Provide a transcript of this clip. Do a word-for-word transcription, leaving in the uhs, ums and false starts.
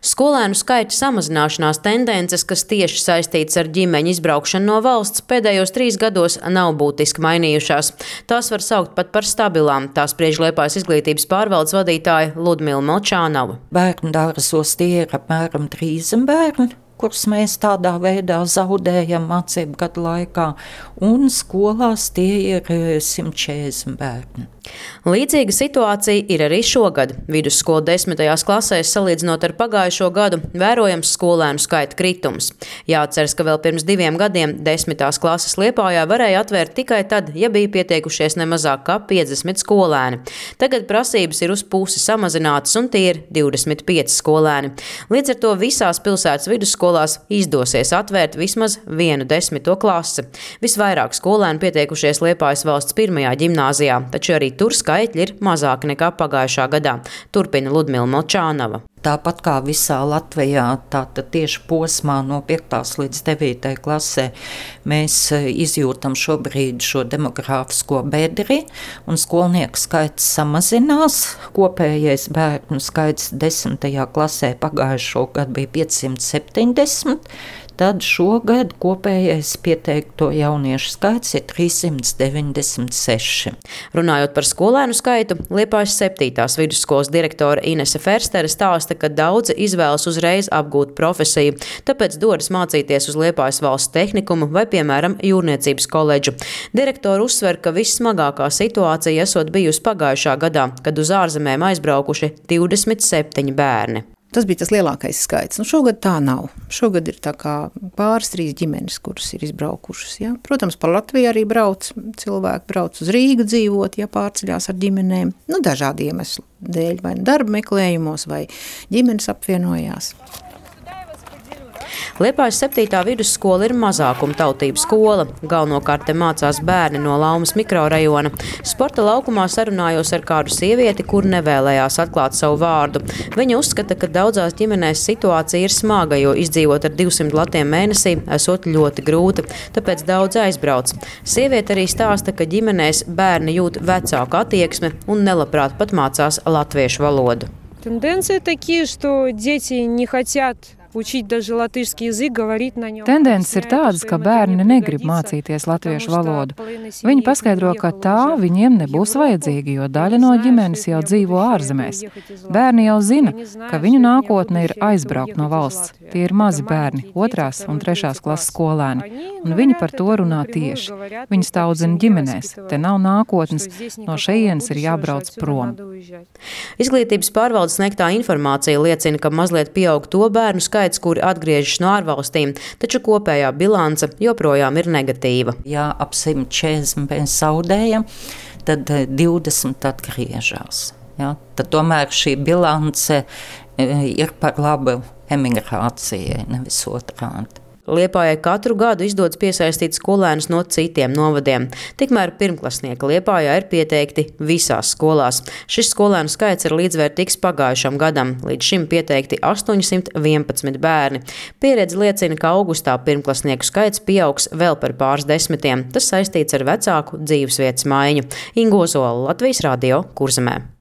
Skolēnu skaita samazināšanās tendences, kas tieši saistītas ar ģimeņu izbraukšanu no valsts, pēdējos trīs gados nav būtiski mainījušās. Tās var saukt pat par stabilām, tā spriež Liepājas izglītības pārvaldes vadītāja Ludmila Molčānova. Bērnu dārzos tie ir apmēram trīsdesmit bērni, kurus mēs tādā veidā zaudējam mācību gadu laikā, un skolās tie ir simt četrdesmit bērni. Līdzīga situācija ir arī šogad. Vidusskolu desmitajās klasēs, salīdzinot ar pagājušo gadu, vērojams skolēnu skaita kritums. Jāatceras, ka vēl pirms diviem gadiem desmitās klases Liepājā varēja atvērt tikai tad, ja bija pieteikušies ne mazāk kā piecdesmit skolēni. Tagad prasības ir uz pusi samazinātas, un tie ir divdesmit pieci skolēni. Līdz ar to visās pilsētas vidusskolās izdosies atvērt vismaz vienu desmito klasi. Visvairāk skolēnu pieteikušies Liepājas valsts pirmajā ģimnāzijā, taču arī tur skaitļi ir mazāki nekā pagājušā gadā, turpina Ludmila Molčānova. Tāpat kā visā Latvijā, tātad tieši posmā no piektās līdz devītajai klasē mēs izjūtam šobrīd šo demogrāfisko bedri, un skolnieku skaits samazinās. Kopējais bērnu skaits desmitajā klasē pagājušo gadu bija piecsimt septiņdesmit, tad šogad kopējais pieteikto jauniešu skaits ir trīssimt deviņdesmit seši. Runājot par skolēnu skaitu, Liepājas septītās vidusskolas direktore Inese Ferstere stāsta, ka daudzi izvēlas uzreiz apgūt profesiju, tāpēc dodas mācīties uz Liepājas valsts tehnikumu vai, piemēram, jūrniecības koledžu. Direktori uzsver, ka vissmagākā situācija esot bijusi pagājušā gadā, kad uz ārzemēm aizbraukuši divdesmit septiņi bērni. Tas bija tas lielākais skaits. Nu, šogad tā nav. Šogad ir tā kā pāris trīs ģimenes, kuras ir izbraukušas. Ja? Protams, pa Latviju arī brauc. Cilvēki brauc uz Rīgu dzīvot, ja pārceļās ar ģimenēm. Nu, dažādi iemesli dēļ, vai darba meklējumos, vai ģimenes apvienojās. Liepājas septītā vidusskola ir mazākuma tautību skola. Galvenokārt te mācās bērni no Laumas mikrorajona. Sporta laukumā sarunājos ar kādu sievieti, kur nevēlējās atklāt savu vārdu. Viņa uzskata, ka daudzās ģimenēs situācija ir smaga, jo izdzīvot ar divsimt latiem mēnesī esot ļoti grūti, tāpēc daudz aizbrauc. Sieviete arī stāsta, ka ģimenēs bērni jūt vecāku attieksmi un nelabprāt pat mācās latviešu valodu. Тенденции такие, что дети не хотят учить даже латышский язык, говорить на нем. Tendences ir tādas, ka bērni negrib mācīties latviešu valodu. Viņi paskaidro, ka tā viņiem nebūs vajadzīga, jo daļa no ģimenes jau dzīvo ārzemēs. Bērni jau zina, ka viņu nākotne ir aizbraukt no valsts. Tie ir mazi bērni, otrās un trešās klases skolēni, un viņi par to runā tieši. Viņi audzina ģimenēs, te nav nākotnes, no šejienes ir jābrauc prom. Izglītības pārvaldes sniegtā informācija liecina, ka mazliet pieaug to bērnu skaits, kuri atgriežas no ārvalstīm, taču kopējā bilance joprojām ir negatīva. Ja ap simt četrdesmit mēs zaudējam, tad divdesmit atgriežas. Ja? Tad tomēr šī bilance ir par labu emigrācijai, nevis otrādi. Liepājai katru gadu izdodas piesaistīt skolēnus no citiem novadiem. Tikmēr pirmklasnieki Liepājā ir pieteikti visās skolās. Šis skolēnu skaits ir līdzvērtīgs pagājušam gadam. Līdz šim pieteikti astoņsimt vienpadsmit bērni. Pieredze liecina, ka augustā pirmklasnieku skaits pieaugs vēl par pāris desmitiem. Tas saistīts ar vecāku dzīvesvietas maiņu. Inga Ozola, Latvijas radio, Kurzemē.